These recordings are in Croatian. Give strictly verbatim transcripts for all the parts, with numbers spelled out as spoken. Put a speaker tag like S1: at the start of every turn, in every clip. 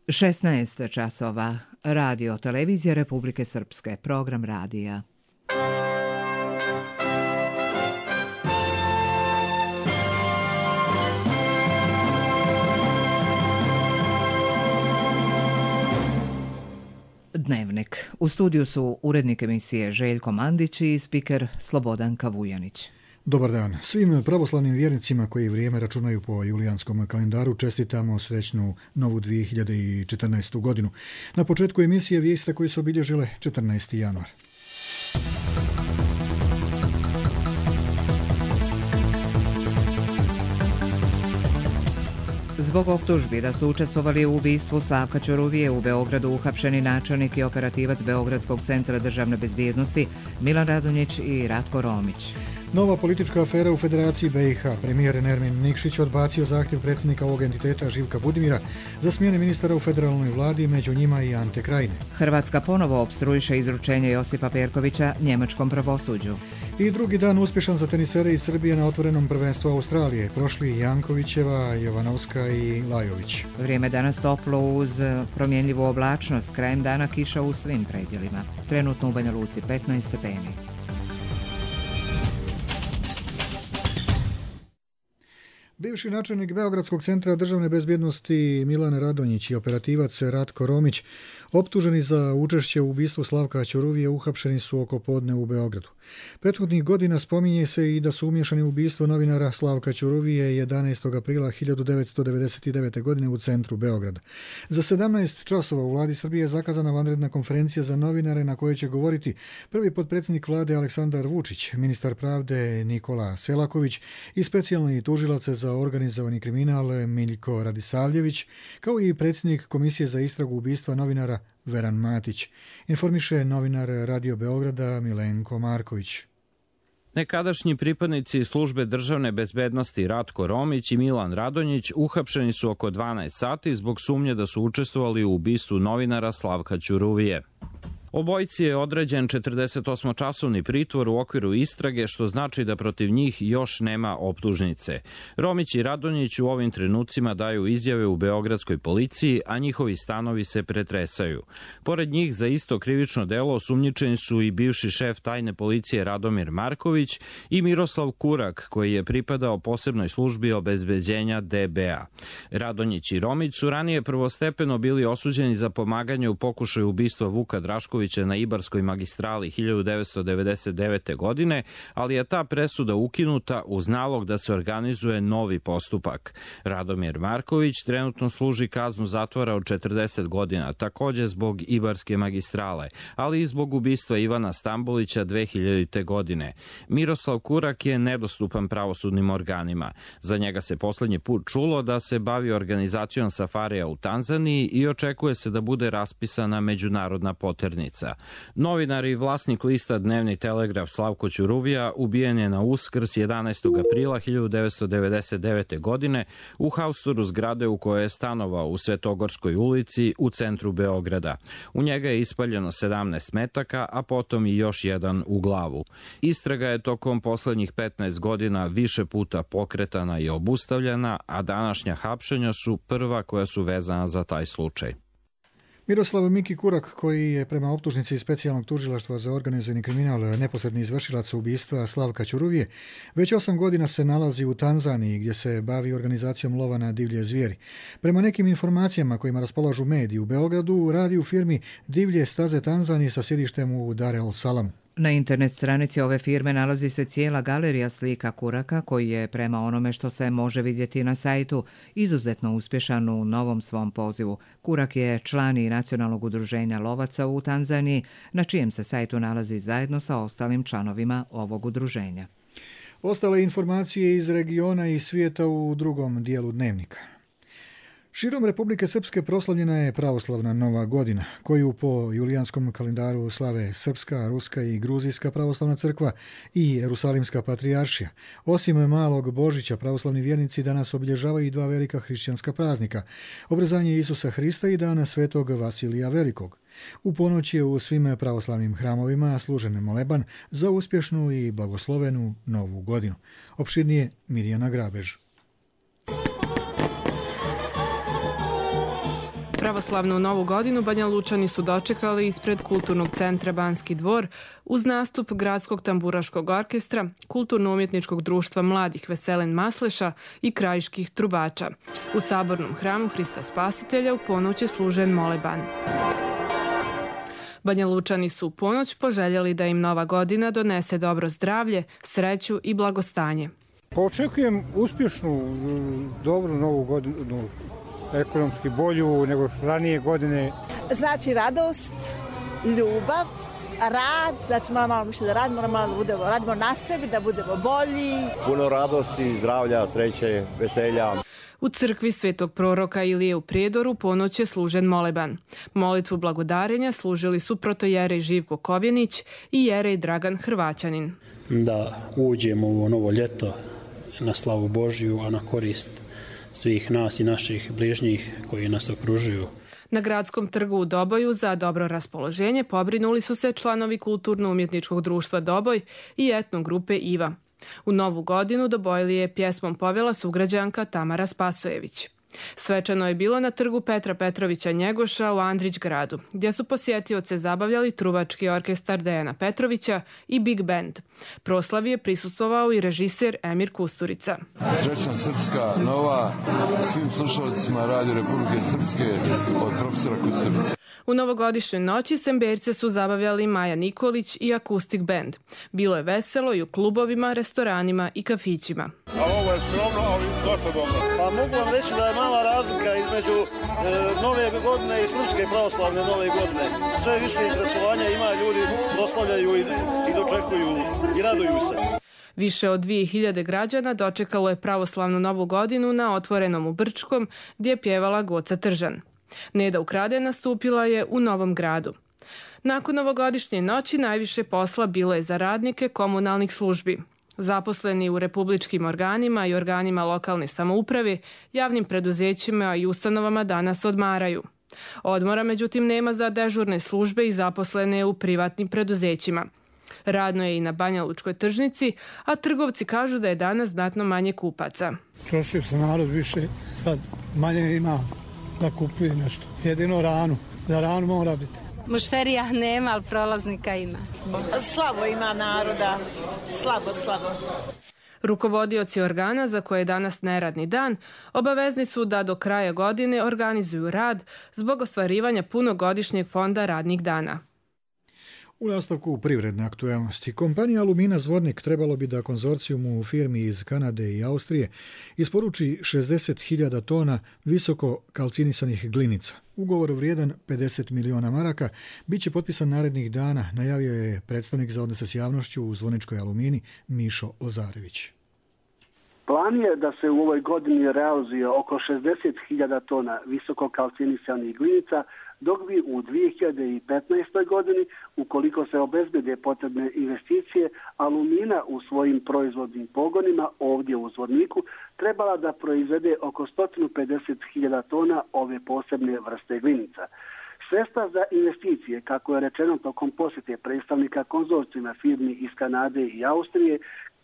S1: šesnaest časova. Radio Televizija Republike Srpske. Program radija. Dnevnik. U studiju su urednik emisije Željko Mandić i spiker Slobodanka Vujanić.
S2: Dobar dan. Svim pravoslavnim vjernicima koji vrijeme računaju po julijanskom kalendaru čestitamo srećnu novu dvije hiljade četrnaestu. godinu. Na početku emisije vijesti koji su obilježile četrnaesti januar.
S1: Zbog optužbi da su učestvovali u ubistvu Slavka Ćuruvije u Beogradu uhapšeni načelnik i operativac Beogradskog centra državne bezbjednosti Milan Radonjić i Ratko Romić.
S2: Nova politička afera u Federaciji B i H. Premijer Nermin Nikšić odbacio zahtjev predsjednika ovog entiteta Živka Budimira za smjene ministara u federalnoj vladi, među njima i Ante Krajine.
S1: Hrvatska ponovo opstruiše izručenje Josipa Perkovića njemačkom pravosuđu.
S2: I drugi dan uspješan za tenisere iz Srbije na otvorenom prvenstvu Australije. Prošli Jankovićeva, Jovanovska i Lajović.
S1: Vrijeme danas toplo uz promjenljivu oblačnost. Krajem dana kiša u svim predjelima. Trenutno u Banja Luci petnaest stepeni.
S2: Bivši načelnik Beogradskog centra državne bezbjednosti Milan Radonjić i operativac Ratko Romić, optuženi za učešće u ubistvu Slavka Ćuruvije, uhapšeni su oko podne u Beogradu. Prethodnih godina spominje se i da su umješani u ubistvo novinara Slavka Ćuruvije jedanaestog aprila hiljadu devetsto devedeset devete. godine u centru Beograda. Za sedamnaest časova u vladi Srbije je zakazana vanredna konferencija za novinare na kojoj će govoriti prvi potpredsjednik vlade Aleksandar Vučić, ministar pravde Nikola Selaković i specijalni tužilac za organizovani kriminal Miljko Radisavljević, kao i predsjednik Komisije za istragu ubistva novinara Veran Matić, informiše novinar Radio Beograda Milenko Marković.
S3: Nekadašnji pripadnici službe državne bezbednosti Ratko Romić i Milan Radonjić uhapšeni su oko dvanaest sati zbog sumnje da su učestvovali u ubistvu novinara Slavka Ćuruvije. Obojici je određen četrdesetosmočasovni pritvor u okviru istrage, što znači da protiv njih još nema optužnice. Romić i Radonjić u ovim trenucima daju izjave u beogradskoj policiji, a njihovi stanovi se pretresaju. Pored njih za isto krivično delo osumnjičeni su i bivši šef tajne policije Radomir Marković i Miroslav Kurak, koji je pripadao posebnoj službi obezbeđenja D B A. Radonjić i Romić su ranije prvostepeno bili osuđeni za pomaganje u pokušaju ubistva Vuka Draškovića na Ibarskoj magistrali hiljadu devetsto devedeset devete. godine, ali je ta presuda ukinuta uz nalog da se organizuje novi postupak. Radomir Marković trenutno služi kaznu zatvora od četrdeset godina, također zbog Ibarske magistrale, ali i zbog ubistva Ivana Stambolića dve hiljadite. godine. Miroslav Kurak je nedostupan pravosudnim organima. Za njega se posljednji put čulo da se bavi organizacijom safarija u Tanzaniji i očekuje se da bude raspisana međunarodna poternica. Novinar i vlasnik lista Dnevni telegraf Slavko Ćuruvija ubijen je na Uskrs jedanaestog aprila hiljadu devetsto devedeset devete. godine u haustoru zgrade u kojoj je stanovao u Svetogorskoj ulici u centru Beograda. U njega je ispaljeno sedamnaest metaka, a potom i još jedan u glavu. Istraga je tokom poslednjih petnaest godina više puta pokretana i obustavljena, a današnja hapšenja su prva koja su vezana za taj slučaj.
S2: Miroslav Miki Kurak, koji je prema optužnici specijalnog tužilaštva za organizovani kriminal neposredni izvršilac ubistva Slavka Ćuruvije, već osam godina se nalazi u Tanzaniji gdje se bavi organizacijom lova na divlje zvijeri. Prema nekim informacijama kojima raspolažu mediji u Beogradu, radi u firmi Divlje staze Tanzanije sa sjedištem u Dar el Salamu.
S1: Na internet stranici ove firme nalazi se cijela galerija slika Kuraka, koji je, prema onome što se može vidjeti na sajtu, izuzetno uspješan u novom svom pozivu. Kurak je član i nacionalnog udruženja lovaca u Tanzaniji, na čijem se sajtu nalazi zajedno sa ostalim članovima ovog udruženja.
S2: Ostale informacije iz regiona i svijeta u drugom dijelu dnevnika. Širom Republike Srpske proslavljena je pravoslavna Nova godina, koju po julijanskom kalendaru slave Srpska, Ruska i Gruzijska pravoslavna crkva i Jerusalimska patrijaršija. Osim malog Božića, pravoslavni vjernici danas obilježavaju i dva velika hrišćanska praznika, obrezanje Isusa Hrista i dana svetog Vasilija Velikog. U ponoć je u svim pravoslavnim hramovima služen moleban za uspješnu i blagoslovenu Novu godinu. Opširnije Mirjana Grabež.
S4: Pravoslavnu novu godinu Banja Lučani su dočekali ispred Kulturnog centra Banski dvor uz nastup Gradskog tamburaškog orkestra, Kulturno-umjetničkog društva mladih Veselin Masleša i krajiških trubača. U sabornom hramu Hrista Spasitelja u ponoć je služen moleban. Banja Lučani su u ponoć poželjeli da im nova godina donese dobro zdravlje, sreću i blagostanje.
S5: Pa očekujem uspješnu, dobru novu godinu, ekonomski bolju nego ranije godine.
S6: Znači radost, ljubav, rad, znači moramo malo više da radimo, moramo malo da budemo, radimo na sebi, da budemo bolji.
S7: Puno radosti, zdravlja, sreće, veselja.
S4: U crkvi Svetog proroka Ilije u Prijedoru ponoć je služen moleban. Molitvu blagodarenja služili su protojerej Živko Kovjenić i jerej Dragan Hrvaćanin.
S8: Da uđemo u ovo novo ljeto na slavu Božju, a na korist svih nas i naših bližnjih koji nas okružuju.
S4: Na Gradskom trgu u Doboju za dobro raspoloženje pobrinuli su se članovi Kulturno-umjetničkog društva Doboj i etno grupe Iva. U novu godinu Dobojli je pjesmom povela sugrađanka Tamara Spasojević. Svečano je bilo na trgu Petra Petrovića Njegoša u Andrić gradu, gdje su posjetioce zabavljali trubački orkestar Dejana Petrovića i Big Band. Proslavi je prisustvovao i režiser Emir Kusturica.
S9: Srećna Srpska nova svim slušalcima Radio Republike Srpske od profesora Kusturica.
S4: U novogodišnjoj noći Semberce su zabavljali Maja Nikolić i Akustik Band. Bilo je veselo i u klubovima, restoranima i kafićima.
S10: A ovo je skromno, ali dosta dobro.
S11: Pa mogu vam reći da je mala razlika između e, nove godine i srpske pravoslavne nove godine. Sve više interesovanja ima, ljudi proslavljaju i, i dočekuju i raduju se.
S4: Više od dvije hiljade građana dočekalo je pravoslavnu novu godinu na otvorenom u Brčkom, gdje je pjevala Goca Tržan. Neda Ukrade nastupila je u Novom Gradu. Nakon novogodišnje noći najviše posla bilo je za radnike komunalnih službi. Zaposleni u republičkim organima i organima lokalne samouprave, javnim preduzećima i ustanovama danas odmaraju. Odmora međutim nema za dežurne službe i zaposlene u privatnim preduzećima. Radno je i na Banja Lučkoj tržnici, a trgovci kažu da je danas znatno manje kupaca.
S5: Trošio se narod više, sad manje ima da kupuje nešto. Jedino ranu, za ranu mora biti.
S12: Mušterija nema, ali prolaznika ima.
S6: Slabo ima naroda, slabo, slabo.
S4: Rukovodioci organa, za koje je danas neradni dan, obavezni su da do kraja godine organizuju rad zbog ostvarivanja punogodišnjeg fonda radnih dana.
S2: U nastavku privredne aktuelnosti, kompanija Alumina Zvornik trebalo bi da konzorcijumu u firmi iz Kanade i Austrije isporuči šezdeset hiljada tona visoko kalcinisanih glinica. Ugovor vrijedan pedeset miliona maraka bit će potpisan narednih dana, najavio je predstavnik za odnose s javnošću u Zvorničkoj Alumini Mišo Lazarević.
S13: Plan je da se u ovoj godini realizuje oko šezdeset hiljada tona visoko kalcinisanih glinica, dok bi u dvije hiljade petnaestoj godini, ukoliko se obezbede potrebne investicije, Alumina u svojim proizvodnim pogonima ovdje u Zvorniku trebala da proizvede oko sto pedeset hiljada tona ove posebne vrste glinica. Sredstva za investicije, kako je rečeno tokom posjete predstavnika konzorcijuma firmi iz Kanade i Austrije,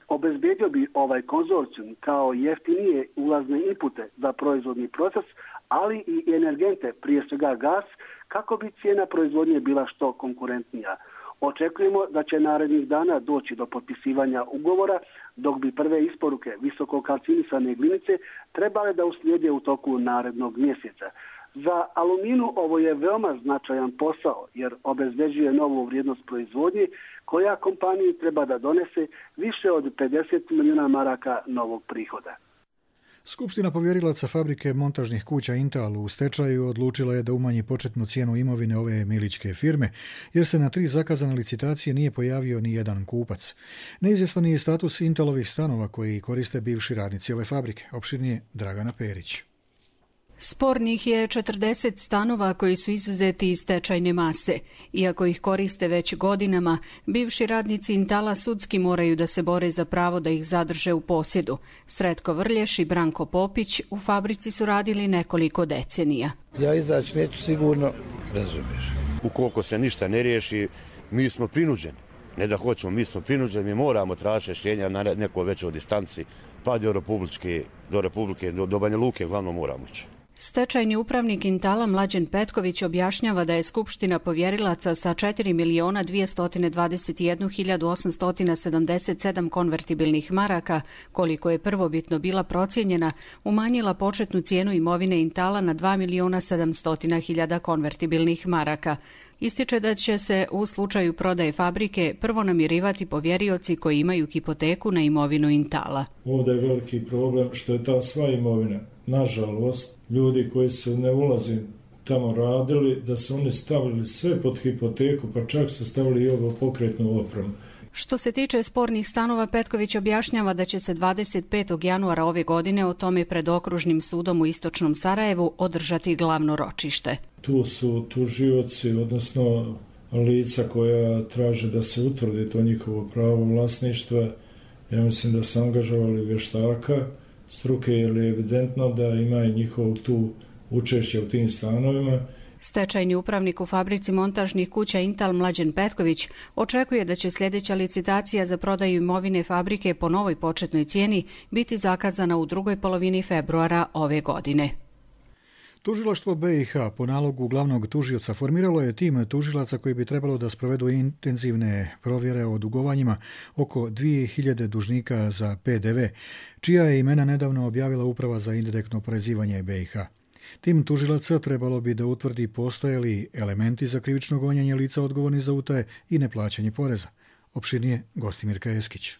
S13: obezbedio bi ovaj konzorcijum kao jeftinije ulazne inpute za proizvodni proces, ali i energente, prije svega gas, kako bi cijena proizvodnje bila što konkurentnija. Očekujemo da će narednih dana doći do potpisivanja ugovora, dok bi prve isporuke visoko kalcinisane glinice trebale da uslijede u toku narednog mjeseca. Za Aluminu ovo je veoma značajan posao, jer obezbeđuje novu vrijednost proizvodnje koja kompaniji treba da donese više od pedeset milijuna maraka novog prihoda.
S2: Skupština povjerilaca fabrike montažnih kuća Intal u stečaju odlučila je da umanji početnu cijenu imovine ove milićke firme, jer se na tri zakazane licitacije nije pojavio ni jedan kupac. Neizvjestan je status Intalovih stanova koji koriste bivši radnici ove fabrike, opširnije Dragana Perić.
S14: Spornih je četrdeset stanova koji su izuzeti iz stečajne mase. Iako ih koriste već godinama, bivši radnici Intala sudski moraju da se bore za pravo da ih zadrže u posjedu. Sretko Vrlješ i Branko Popić u fabrici su radili nekoliko decenija.
S15: Ja izaći neću sigurno, razumiješ.
S7: Ukoliko se ništa ne riješi, mi smo prinuđeni. Ne da hoćemo, mi smo prinuđeni, mi moramo tražiti rješenja na neko većoj distanci, pa do Republike, do, Republike, do, do Banja Luke, glavno moramo ići.
S14: Stečajni upravnik Intala Mlađen Petković objašnjava da je Skupština povjerilaca sa četiri miliona dvjesto dvadeset jednu hiljadu osamsto sedamdeset sedam konvertibilnih maraka, koliko je prvobitno bila procijenjena, umanjila početnu cijenu imovine Intala na dva miliona sedamsto hiljada konvertibilnih maraka. Ističe da će se u slučaju prodaje fabrike prvo namirivati povjerioci koji imaju hipoteku na imovinu Intala.
S16: Ovdje je veliki problem što je ta sva imovina, nažalost, ljudi koji su ne ulazi tamo radili, da su oni stavili sve pod hipoteku, pa čak su stavili i ovo pokretnu opremu.
S14: Što se tiče spornih stanova, Petković objašnjava da će se dvadeset petog januara ove godine o tome pred okružnim sudom u istočnom Sarajevu održati glavno ročište.
S16: Tu su tužioci, odnosno lica koja traže da se utvrdi to njihovo pravo vlasništva. Ja mislim da su angažovali vještaka struke, jer je evidentno da ima i njihovo tu učešće u tim stanovima.
S14: Stečajni upravnik u fabrici montažnih kuća Intal Mlađen Petković očekuje da će sljedeća licitacija za prodaju imovine fabrike po novoj početnoj cijeni biti zakazana u drugoj polovini februara ove godine.
S2: Tužilaštvo B i H po nalogu glavnog tužioca formiralo je tim tužilaca koji bi trebalo da sprovedu intenzivne provjere o dugovanjima oko dvije hiljade dužnika za P D V, čija je imena nedavno objavila Uprava za indirektno oporezivanje B i H. Tim tužilaca trebalo bi da utvrdi postoje li elementi za krivično gonjenje lica odgovorni za utaje i neplaćanje poreza. Opširnije Gostimirka Eskić.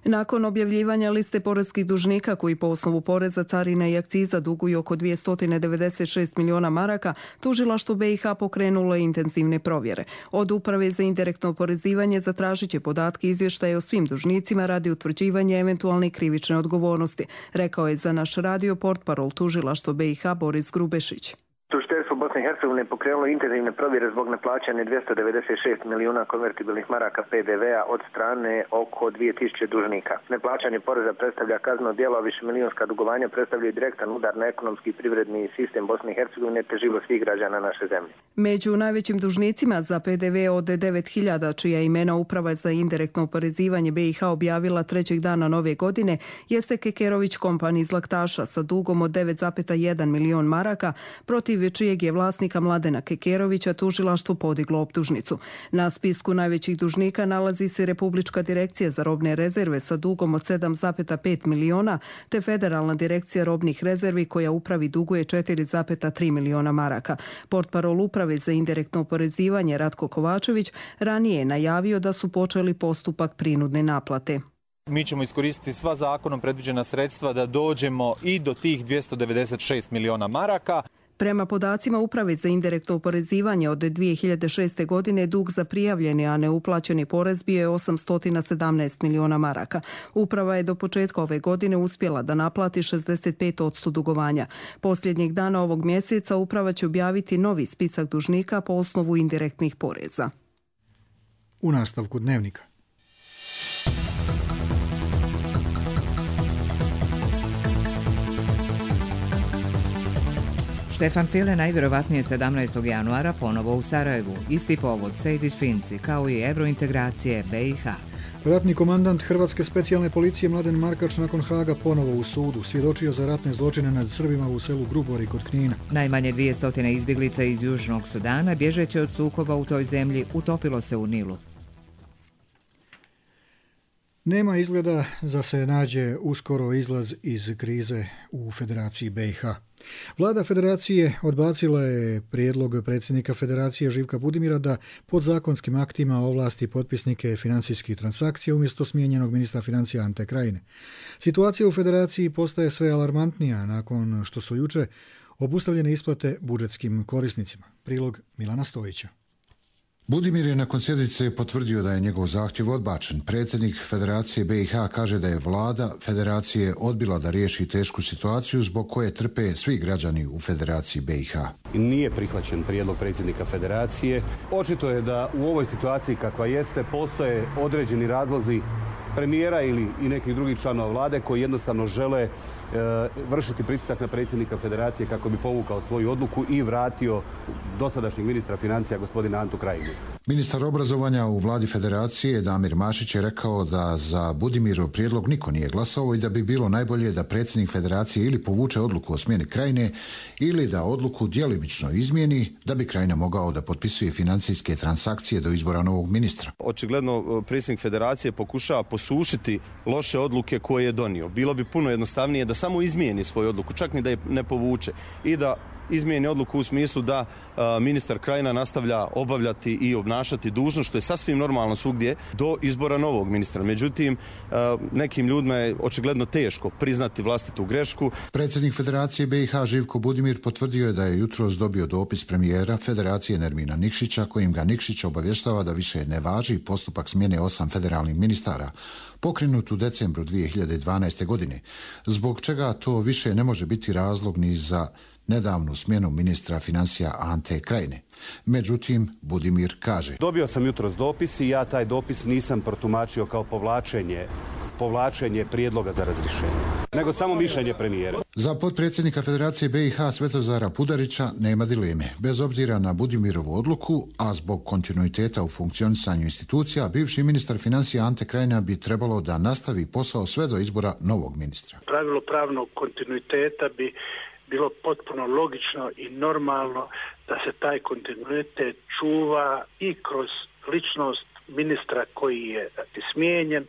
S17: Nakon objavljivanja liste poreskih dužnika koji po osnovu poreza, carina i akciza duguju oko dvjesto devedeset šest miliona maraka, tužilaštvo B i H pokrenulo je intenzivne provjere. Od Uprave za indirektno oporezivanje zatražit će podatke i izvještaje o svim dužnicima radi utvrđivanja eventualne krivične odgovornosti, rekao je za naš radio portparol tužilaštvo B i H Boris Grubešić.
S18: Tužiteljstvo Bosne i Hercegovine pokrenulo intenzivne provjere zbog neplaćanja dvjesto devedeset šest milijuna konvertibilnih maraka P D V-a od strane oko dvije tisuće dužnika. Neplaćanje poreza predstavlja kazneno djelo, a višemilijonska dugovanja predstavljaju direktan udar na ekonomski i privredni sistem Bosne i Hercegovine te život svih građana naše zemlje.
S17: Među najvećim dužnicima za P D V od devet hiljada, čija imena Uprava za indirektno oporezivanje B i H objavila trećeg dana nove godine, jeste Kekerović Company iz Laktaša sa dugom od devet zarez jedan milion maraka, protiv čijeg je vlasnika Mladena Kekerovića tužilaštvo podiglo optužnicu. Na spisku najvećih dužnika nalazi se Republička direkcija za robne rezerve sa dugom od sedam zarez pet miliona, te Federalna direkcija robnih rezervi koja Upravi duguje četiri zarez tri miliona maraka. Portparol Uprave za indirektno oporezivanje Ratko Kovačević ranije je najavio da su počeli postupak prinudne naplate.
S19: Mi ćemo iskoristiti sva zakonom predviđena sredstva da dođemo i do tih dvjesto devedeset šest miliona maraka.
S17: Prema podacima Uprave za indirektno oporezivanje od dvije hiljade šeste. godine dug za prijavljeni, a neuplaćeni porez bio je osamsto sedamnaest miliona maraka. Uprava je do početka ove godine uspjela da naplati šezdeset pet posto dugovanja. Posljednjeg dana ovog mjeseca Uprava će objaviti novi spisak dužnika po osnovu indirektnih poreza.
S2: U nastavku dnevnika.
S1: Štefan File najvjerovatnije sedamnaestog januara ponovo u Sarajevu. Isti povod Sejdić-Finci, kao i evrointegracije B i H.
S2: Ratni komandant Hrvatske specijalne policije Mladen Markač nakon Haga ponovo u sudu. Svjedočio za ratne zločine nad Srbima u selu Grubori kod Knina.
S1: Najmanje dvjesto izbjeglica iz Južnog Sudana, bježeći od sukoba u toj zemlji, utopilo se u Nilu.
S2: Nema izgleda da se nađe uskoro izlaz iz krize u Federaciji B i H. Vlada Federacije odbacila je prijedlog predsjednika Federacije Živka Budimira da podzakonskim aktima ovlasti potpisnike financijskih transakcija umjesto smijenjenog ministra financija Ante Krajine. Situacija u Federaciji postaje sve alarmantnija nakon što su juče obustavljene isplate budžetskim korisnicima. Prilog Milana Stojića.
S20: Budimir je nakon sjednice potvrdio da je njegov zahtjev odbačen. Predsjednik Federacije B i H kaže da je vlada Federacije odbila da riješi tešku situaciju zbog koje trpe svi građani u Federaciji B i H.
S21: Nije prihvaćen prijedlog predsjednika Federacije. Očito je da u ovoj situaciji kakva jeste postoje određeni razlozi premijera ili i nekih drugih članova vlade koji jednostavno žele e, vršiti pritisak na predsjednika federacije kako bi povukao svoju odluku i vratio dosadašnjeg ministra financija gospodina Antu Krajinu.
S20: Ministar obrazovanja u vladi federacije Damir Mašić je rekao da za Budimirov prijedlog niko nije glasao i da bi bilo najbolje da predsjednik federacije ili povuče odluku o smjeni Krajine ili da odluku djelimično izmijeni da bi Krajina mogao da potpisuje financijske transakcije do izbora novog ministra.
S3: Očigledno predsjednik federacije pokušava posušiti loše odluke koje je donio. Bilo bi puno jednostavnije da samo izmijeni svoju odluku, čak ni da je ne povuče i da izmijeni odluku u smislu da a, ministar Krajina nastavlja obavljati i obnašati dužnost, što je sasvim normalno svugdje, do izbora novog ministra. Međutim, a, nekim ljudima je očigledno teško priznati vlastitu grešku.
S20: Predsjednik Federacije B i H Živko Budimir potvrdio je da je jutros dobio dopis premijera Federacije Nermina Nikšića kojim ga Nikšić obavještava da više ne važi postupak smjene osam federalnih ministara pokrenut u decembru dvije hiljade dvanaeste. godine, zbog čega to više ne može biti razlog ni za nedavnu smjenu ministra financija Ante Krajine. Međutim, Budimir kaže:
S21: Dobio sam jutros dopis i ja taj dopis nisam protumačio kao povlačenje povlačenje prijedloga za razrješenje, nego samo mišljenje premijera.
S20: Za potpredsjednika Federacije B i H Svetozara Pudarića nema dileme. Bez obzira na Budimirovu odluku, a zbog kontinuiteta u funkcionisanju institucija, bivši ministar financija Ante Krajina bi trebalo da nastavi posao sve do izbora novog ministra.
S22: Pravilo pravnog kontinuiteta bi bilo potpuno logično i normalno da se taj kontinuitet čuva i kroz ličnost ministra koji je smijenjen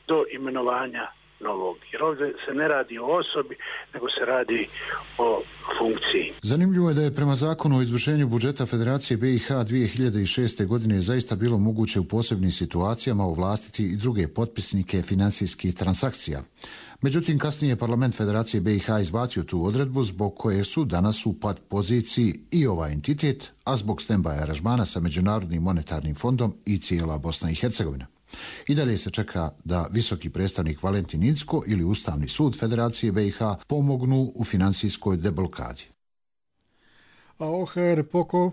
S22: do imenovanja novog. Jer ovdje se ne radi o osobi, nego se radi o funkciji.
S20: Zanimljivo je da je prema zakonu o izvršenju budžeta Federacije B i H dvije hiljade šeste. godine zaista bilo moguće u posebnim situacijama ovlastiti i druge potpisnike financijskih transakcija. Međutim, kasnije je parlament Federacije B i H izbacio tu odredbu zbog koje su danas u pad poziciji i ovaj entitet, a zbog stand-by aranžmana sa Međunarodnim monetarnim fondom i cijela Bosna i Hercegovina. I dalje se čeka da visoki predstavnik Valentin Incko ili Ustavni sud Federacije B i H pomognu u financijskoj deblokadi.
S2: A O H R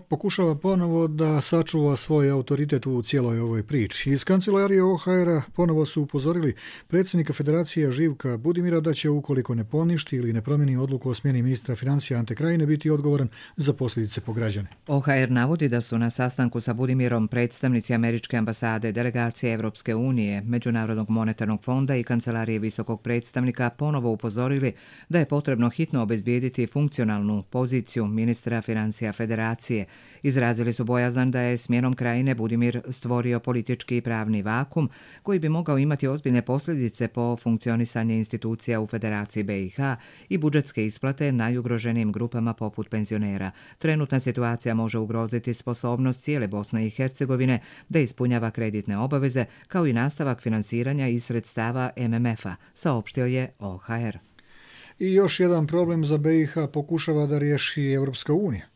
S2: pokušava ponovo da sačuva svoj autoritet u cijeloj ovoj priči. Iz kancelarije O H R-a ponovo su upozorili predsjednika Federacije Živka Budimira da će, ukoliko ne poništi ili ne promijeni odluku o smjeni ministra financija Ante Krajine, biti odgovoran za posljedice po građane.
S1: O H R navodi da su na sastanku sa Budimirom predstavnici Američke ambasade, delegacije Evropske unije, Međunarodnog monetarnog fonda i kancelarije visokog predstavnika ponovo upozorili da je potrebno hitno obezbijediti funkcionalnu poziciju ministra financija Federacije. Izrazili su bojazan da je smjenom Krajine Budimir stvorio politički i pravni vakum koji bi mogao imati ozbiljne posljedice po funkcionisanje institucija u Federaciji B i H i budžetske isplate najugroženijim grupama poput penzionera. Trenutna situacija može ugroziti sposobnost cijele Bosne i Hercegovine da ispunjava kreditne obaveze kao i nastavak finansiranja iz sredstava M M F-a, saopštio je O H R.
S2: I još jedan problem za B i H pokušava da riješi Evropska unija.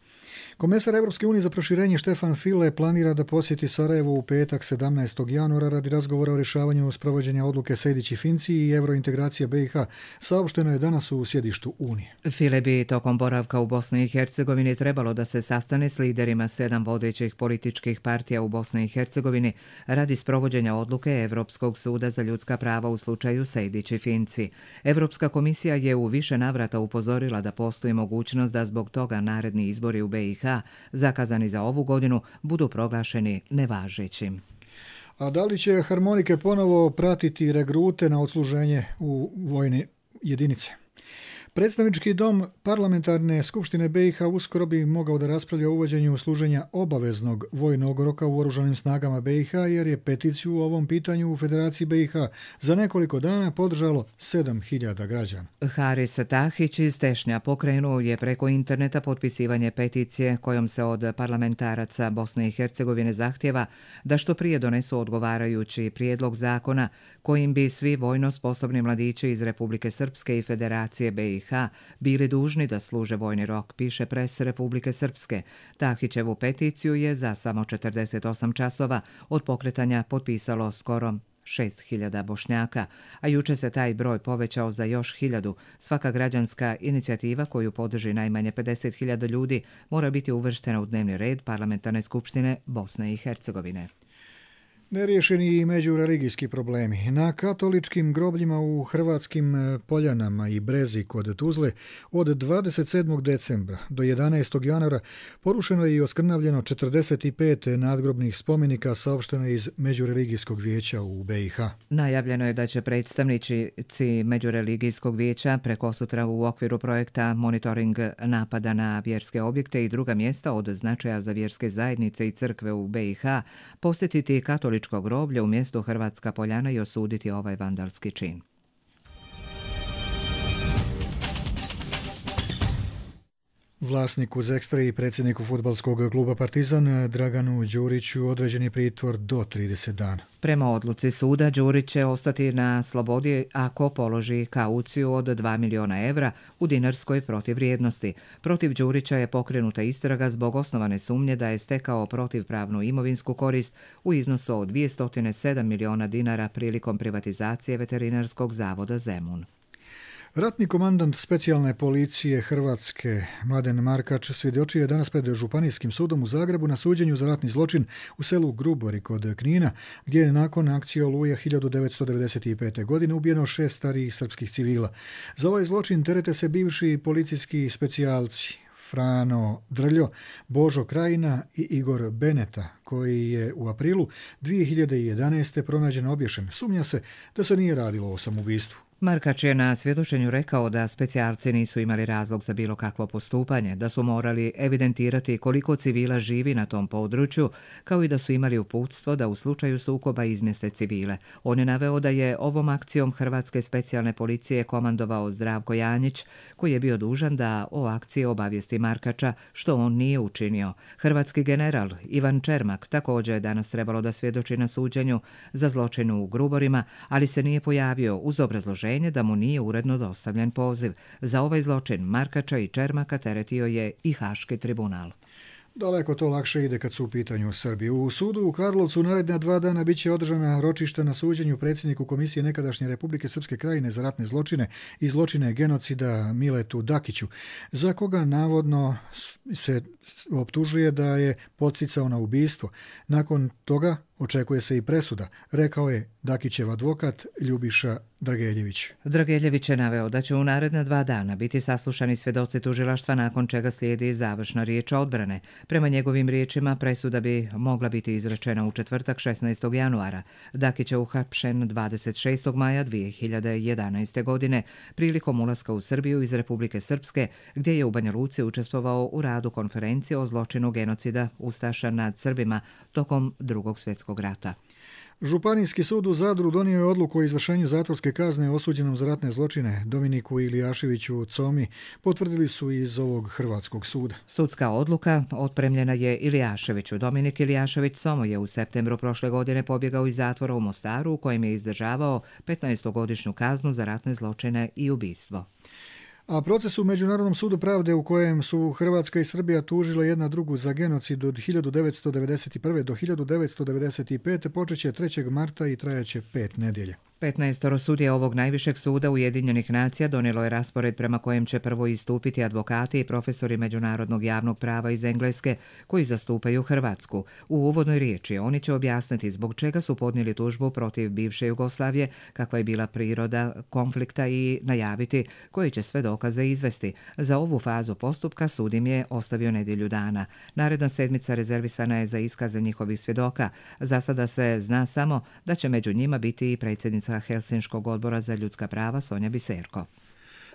S2: Komesar Evropske unije za proširenje Štefan File planira da posjeti Sarajevo u petak sedamnaestog januara radi razgovora o rješavanju sprovođenja odluke Sejdić i Finci i eurointegracija B i H. Saopšteno je danas u sjedištu Unije.
S1: File bi tokom boravka u Bosni i Hercegovini trebalo da se sastane s liderima sedam vodećih političkih partija u Bosni i Hercegovini radi sprovođenja odluke Evropskog suda za ljudska prava u slučaju Sejdić i Finci. Evropska komisija je u više navrata upozorila da postoji mogućnost da zbog toga naredni izbori u B i H zakazani za ovu godinu budu proglašeni nevažećim.
S2: A da li će harmonike ponovo pratiti regrute na odsluženje u vojne jedinice? Predstavnički dom parlamentarne skupštine B i H uskoro bi mogao da raspravlja o uvođenju služenja obaveznog vojnog roka u oružanim snagama B i H, jer je peticiju u ovom pitanju u Federaciji B i H za nekoliko dana podržalo sedam hiljada građana.
S1: Haris Tahić iz Tešnja pokrenuo je preko interneta potpisivanje peticije kojom se od parlamentaraca Bosne i Hercegovine zahtjeva da što prije donesu odgovarajući prijedlog zakona kojim bi svi vojno sposobni mladići iz Republike Srpske i Federacije B i H bili dužni da služe vojni rok, piše Pres Republike Srpske. Tahićevu peticiju je za samo četrdeset osam časova od pokretanja potpisalo skoro šest hiljada Bošnjaka, a juče se taj broj povećao za još hiljadu. Svaka građanska inicijativa koju podrži najmanje pedeset hiljada ljudi mora biti uvrštena u dnevni red Parlamentarne skupštine Bosne i Hercegovine.
S2: Neriješeni i međureligijski problemi. Na katoličkim grobljima u hrvatskim Poljanama i Brezi kod Tuzle od dvadeset sedmog decembra do jedanaestog januara porušeno je i oskrnavljeno četrdeset pet nadgrobnih spomenika, saopšteno iz Međureligijskog vijeća u B i H.
S1: Najavljeno je da će predstavnici Međureligijskog vijeća prekosutra u okviru projekta Monitoring napada na vjerske objekte i druga mjesta od značaja za vjerske zajednice i crkve u B i H posjetiti katolički groblje u mjestu Hrvatska Poljana i osuditi ovaj vandalski čin.
S2: Vlasniku Zekstra i predsjedniku fudbalskog kluba Partizan Draganu Đuriću određen je pritvor do trideset dana.
S1: Prema odluci suda, Đurić će ostati na slobodi ako položi kauciju od dva miliona evra u dinarskoj protivvrijednosti. Protiv Đurića je pokrenuta istraga zbog osnovane sumnje da je stekao protivpravnu imovinsku korist u iznosu od dvjesto sedam miliona dinara prilikom privatizacije Veterinarskog zavoda Zemun.
S2: Ratni komandant specijalne policije Hrvatske Mladen Markač svjedočio je danas pred Županijskim sudom u Zagrebu na suđenju za ratni zločin u selu Grubori kod Knina, gdje je nakon akcije Oluja hiljadu devetsto devedeset pete. godine ubijeno šest starijih srpskih civila. Za ovaj zločin terete se bivši policijski specijalci Frano Drljo, Božo Krajina i Igor Beneta, koji je u aprilu dvije hiljade jedanaeste. pronađen obješen. Sumnja se da se nije radilo o samoubistvu.
S1: Markač je na svjedočenju rekao da specijalci nisu imali razlog za bilo kakvo postupanje, da su morali evidentirati koliko civila živi na tom području, kao i da su imali uputstvo da u slučaju sukoba izmjeste civile. On je naveo da je ovom akcijom Hrvatske specijalne policije komandovao Zdravko Janjić, koji je bio dužan da o akciji obavijesti Markača, što on nije učinio. Hrvatski general Ivan Čermak također je danas trebalo da svjedoči na suđenju za zločin u Gruborima, ali se nije pojavio uz obrazloženje da mu nije uredno dostavljen poziv. Za ovaj zločin Markača i Čermaka teretio je i Haški tribunal.
S2: Daleko to lakše ide kad su u pitanju Srbi. U sudu u Karlovcu naredna dva dana bit će održana ročišta na suđenju predsjedniku Komisije nekadašnje Republike Srpske Krajine za ratne zločine i zločine genocida Miletu Dakiću, za koga navodno se optužuje da je podsticao na ubistvo. Nakon toga očekuje se i presuda, rekao je Dakićev advokat Ljubiša Drageljević.
S1: Drageljević je naveo da će u naredna dva dana biti saslušani svjedoci tužilaštva, nakon čega slijedi završna riječ odbrane. Prema njegovim riječima presuda bi mogla biti izrečena u četvrtak šesnaestog januara. Dakić je uhapšen dvadeset šestog maja dvije hiljade jedanaeste. godine prilikom ulaska u Srbiju iz Republike Srpske, gdje je u Banja Luci učestvovao u radu konferencije o zločinu genocida ustaša nad Srbima tokom Drugog svjetskog rata.
S2: Županijski sud u Zadru donio je odluku o izvršenju zatvorske kazne osuđenom za ratne zločine Dominiku Ilijaševiću Comi, potvrdili su iz ovog hrvatskog suda.
S1: Sudska odluka otpremljena je Ilijaševiću. Dominik Ilijašević Como je u septembru prošle godine pobjegao iz zatvora u Mostaru, u kojem je izdržavao petnaestogodišnju kaznu za ratne zločine i ubistvo.
S2: A proces u Međunarodnom sudu pravde, u kojem su Hrvatska i Srbija tužile jedna drugu za genocid od hiljadu devetsto devedeset prve. do hiljadu devetsto devedeset pete. počeće trećeg marta i trajaće pet nedjelja.
S1: petnaestoro sudija ovog najvišeg suda Ujedinjenih nacija donijelo je raspored prema kojem će prvo istupiti advokati i profesori međunarodnog javnog prava iz Engleske koji zastupaju Hrvatsku. U uvodnoj riječi oni će objasniti zbog čega su podnijeli tužbu protiv bivše Jugoslavije, kakva je bila priroda konflikta i najaviti koji će sve dokaze izvesti. Za ovu fazu postupka sud im je ostavio nedjelju dana. Naredna sedmica rezervisana je za iskaze njihovih svjedoka. Za sada se zna samo da će među njima biti i predsjednica Helsinškog odbora za ljudska prava Sonja Biserko.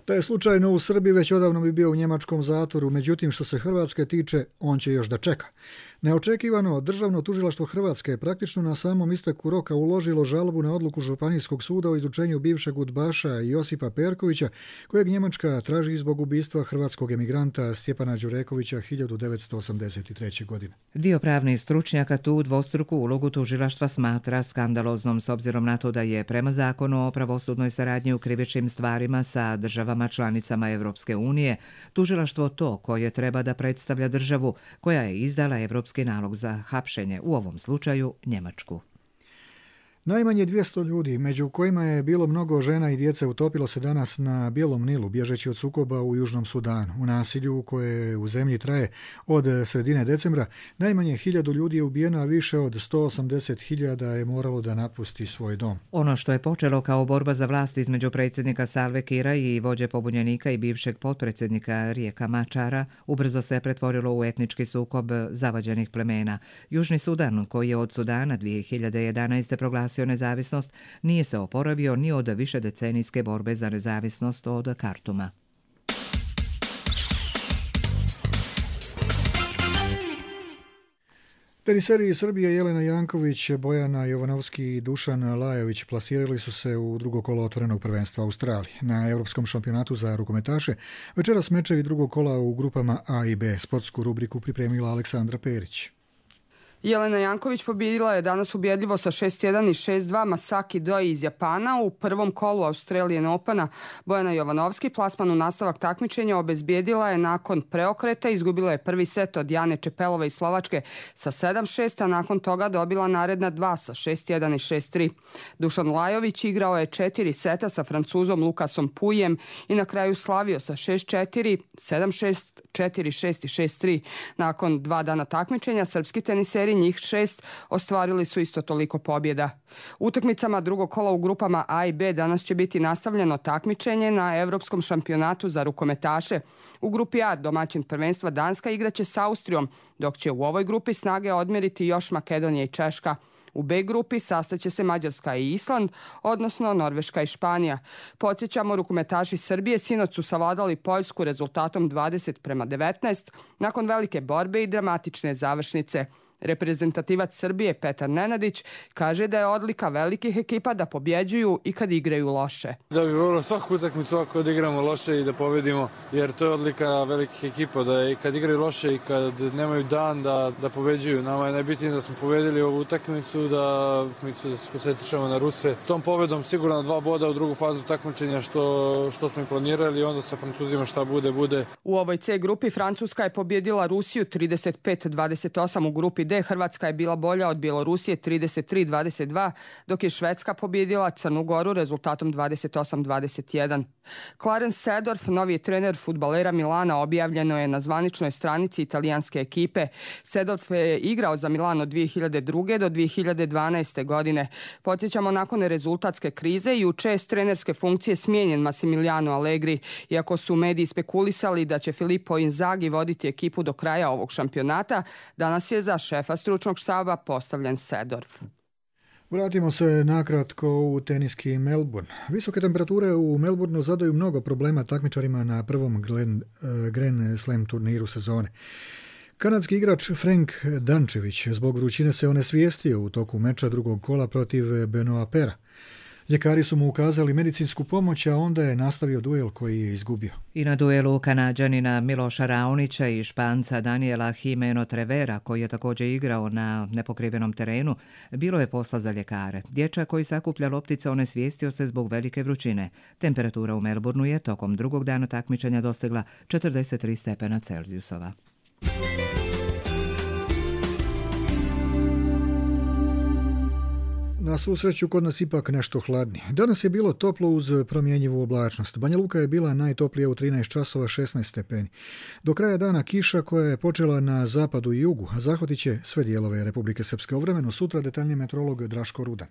S2: Da je slučajno u Srbiji, već odavno bi bio u njemačkom zatvoru, međutim što se Hrvatske tiče, on će još da čeka. Neočekivano, Državno tužilaštvo Hrvatske je praktično na samom isteku roka uložilo žalbu na odluku Županijskog suda o izručenju bivšeg udbaša Josipa Perkovića, kojeg Njemačka traži zbog ubistva hrvatskog emigranta Stjepana Đurekovića hiljadu devetsto osamdeset treće. godine.
S1: Dio pravnih stručnjaka tu dvostruku ulogu tužilaštva smatra skandaloznom s obzirom na to da je prema zakonu o pravosudnoj saradnji u krivičnim stvarima sa državama članicama Evropske unije tužilaštvo to koje treba da predstavlja državu koja je izdala evropski nalog za hapšenje, u ovom slučaju Njemačku.
S2: Najmanje dvjesto ljudi, među kojima je bilo mnogo žena i djece, utopilo se danas na Bijelom Nilu, bježeći od sukoba u Južnom Sudanu. U nasilju koje u zemlji traje od sredine decembra, najmanje hiljadu ljudi je ubijeno, a više od sto osamdeset hiljada je moralo da napusti svoj dom.
S1: Ono što je počelo kao borba za vlast između predsjednika Salve Kira i vođe pobunjenika i bivšeg potpredsjednika Rijeka Mačara, ubrzo se pretvorilo u etnički sukob zavađenih plemena. Južni Sudan, koji je od Sudana dvije hiljade jedanaeste proglasio nezavisnost, nije se oporavio ni od višedecenijske borbe za nezavisnost od Kartuma.
S2: Teniseri iz Srbije Jelena Janković, Bojana Jovanovski i Dušan Lajović plasirali su se u drugo kolo otvorenog prvenstva Australije. Na Europskom šampionatu za rukometaše večeras mečevi drugog kola u grupama A i B. Sportsku rubriku pripremila Aleksandra Perić.
S8: Jelena Janković pobjedila je danas ubjedljivo sa šest jedan i šest dva Masaki Doi iz Japana. U prvom kolu Australian Opena Bojana Jovanovski plasman u nastavak takmičenja obezbijedila je nakon preokreta. Izgubila je prvi set od Jane Čepelove iz Slovačke sa sedam šest, a nakon toga dobila naredna dva sa šest jedan i šest tri. Dušan Lajović igrao je četiri seta sa Francuzom Lukasom Pujem i na kraju slavio sa šest četiri, sedam šest, četiri šest i šest tri. Nakon dva dana takmičenja srpski teniseri, njih šest, ostvarili su isto toliko pobjeda. Utakmicama drugog kola u grupama A i B danas će biti nastavljeno takmičenje na Europskom šampionatu za rukometaše. U grupi A domaćin prvenstva Danska igraće s Austrijom, dok će u ovoj grupi snage odmjeriti još Makedonija i Češka. U B grupi sastaće se Mađarska i Island, odnosno Norveška i Španija. Podsjećamo, rukometaši Srbije sinoć su savladali Poljsku rezultatom dvadeset prema devetnaest nakon velike borbe i dramatične završnice. Reprezentativac Srbije Petar Nenadić kaže da je odlika velikih ekipa da pobjeđuju i kad igraju loše.
S9: Da bi volio svaku utakmicu ako odigramo loše i da pobjedimo, jer to je odlika velikih ekipa, da i kad igraju loše i kad nemaju dan da, da pobjeđuju. Nama je najbitnije da smo pobjedili ovu utakmicu, da, da se koncentrišemo na Ruse. Tom pobjedom sigurno dva boda u drugu fazu takmičenja što, što smo i planirali i onda sa Francuzima šta bude, bude.
S8: U ovoj C grupi Francuska je pobjedila Rusiju trideset pet dvadeset osam, u grupi D Hrvatska je bila bolja od Bjelorusije trideset tri dvadeset dva, dok je Švedska pobjedila Crnu Goru rezultatom dvadeset osam dvadeset jedan. Clarence Seedorf, novi trener fudbalera Milana, objavljeno je na zvaničnoj stranici italijanske ekipe. Seedorf je igrao za Milan od dvije hiljade druge do dvije hiljade dvanaeste godine. Podsjećamo, nakon rezultatske krize i u čest trenerske funkcije smijenjen Massimiliano Allegri, iako su mediji spekulisali da će Filippo Inzaghi voditi ekipu do kraja ovog šampionata, danas je za šefa stručnog štaba postavljen Seedorf.
S2: Vratimo se nakratko u teniski Melbourne. Visoke temperature u Melbourneu zadaju mnogo problema takmičarima na prvom Grand Slam turniru sezone. Kanadski igrač Frank Dančević zbog vrućine se onesvijestio u toku meča drugog kola protiv Benoa Pera. Ljekari su mu ukazali medicinsku pomoć, a onda je nastavio duel koji je izgubio.
S1: I na duelu Kanađanina Miloša Raonića i Španca Daniela Jimeno Trevera, koji je također igrao na nepokrivenom terenu, bilo je posla za ljekare. Dječak koji sakuplja loptice onesvijestio se zbog velike vrućine. Temperatura u Melbourneu je tokom drugog dana takmičenja dostigla četrdeset tri stepena Celzijusova.
S2: Na svu sreću kod nas ipak nešto hladnije. Danas je bilo toplo uz promjenjivu oblačnost. Banja Luka je bila najtoplija u trinaest časova šesnaest stepeni. Do kraja dana kiša koja je počela na zapadu i jugu, a zahvatit će sve dijelove Republike Srpske. Ovremeno sutra detaljniji meteorolog Draško Rudan.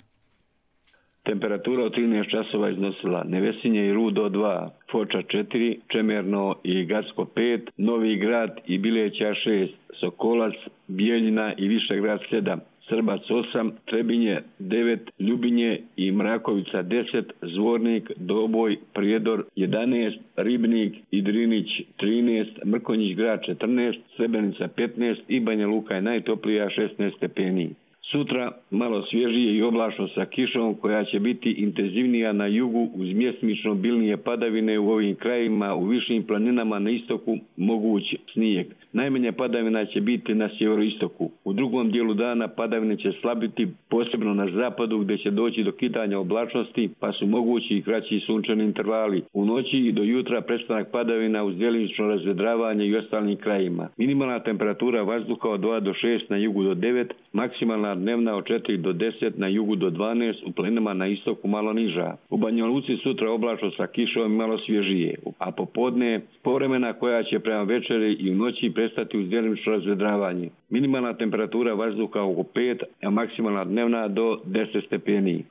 S23: Temperatura od trinaest časova iznosila Nevesinje i Rudo dva, Foča četiri, Čemerno i Gacko pet, Novi Grad i Bileća šest, Sokolac, Bijeljina i Višegrad sedam, Srbac osam, Trebinje devet, Ljubinje i Mrakovica deset, Zvornik, Doboj, Prijedor jedanaest, Ribnik i Drinić trinaest, Mrkonjić Grad četrnaest, Srebrenica petnaest i Banja Luka je najtoplija šesnaest stepeni. Sutra malo svježije i oblačno sa kišom koja će biti intenzivnija na jugu uz mjesmično bilnije padavine u ovim krajima, u višim planinama na istoku moguć snijeg. Najmanja padavina će biti na sjeveroistoku. U drugom dijelu dana padavine će slabiti, posebno na zapadu gdje će doći do kidanja oblačnosti, pa su mogući i kraći sunčani intervali. U noći i do jutra prestanak padavina uz djelomično razvedravanje i ostalim krajima. Minimalna temperatura vazduha od dva do šest, na jugu do devet, maksimalna maksimalna dnevna od četiri do deset, na jugu do dvanaest, u planinama na istoku malo niža. U Banja Luci sutra oblačno sa kišom i malo svježije, a popodne povremena koja će prema večeri i u noći prestati uz djelimično razvedravanje. Minimalna temperatura vazduha oko pet, a maksimalna dnevna do deset stepeni.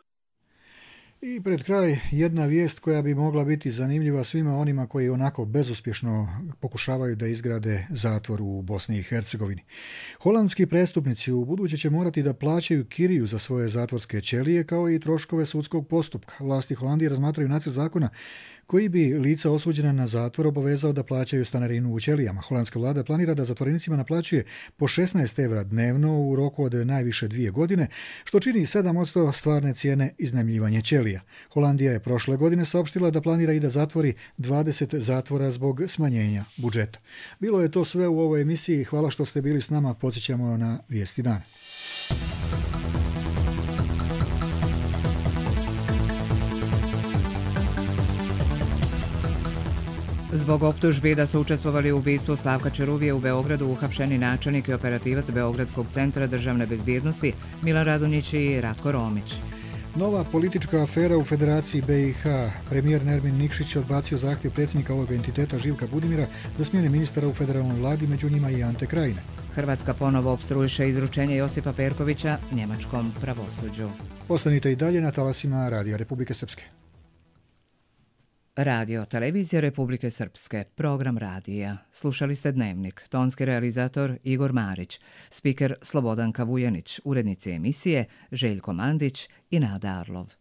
S2: I pred kraj jedna vijest koja bi mogla biti zanimljiva svima onima koji onako bezuspješno pokušavaju da izgrade zatvor u Bosni i Hercegovini. Holandski prestupnici u buduće će morati da plaćaju kiriju za svoje zatvorske ćelije kao i troškove sudskog postupka. Vlasti Holandije razmatraju nacrt zakona koji bi lica osuđena na zatvor obavezao da plaćaju stanarinu u ćelijama. Holandska vlada planira da zatvorenicima naplaćuje po šesnaest evra dnevno u roku od najviše dvije godine, što čini sedam posto stvarne cijene iznajmljivanja ćelija. Holandija je prošle godine saopštila da planira i da zatvori dvadeset zatvora zbog smanjenja budžeta. Bilo je to sve u ovoj emisiji. Hvala što ste bili s nama. Podsjećamo na vijesti dana.
S1: Zbog optužbi da su učestvovali u ubistvu Slavka Ćuruvije u Beogradu uhapšeni načelnik i operativac Beogradskog centra državne bezbjednosti Milan Radonjić i Ratko Romić.
S2: Nova politička afera u Federaciji B i H. Premijer Nermin Nikšić odbacio zahtjev predsjednika ovog entiteta Živka Budimira za smjene ministara u federalnoj vladi, među njima i Ante Krajine.
S1: Hrvatska ponovo opstruiše izručenje Josipa Perkovića njemačkom pravosuđu.
S2: Ostanite i dalje na talasima Radija Republike Srpske.
S1: Radio Televizija Republike Srpske, program radija. Slušali ste Dnevnik, tonski realizator Igor Marić, spiker Slobodanka Vujanić, urednici emisije Željko Mandić i Nada Arlov.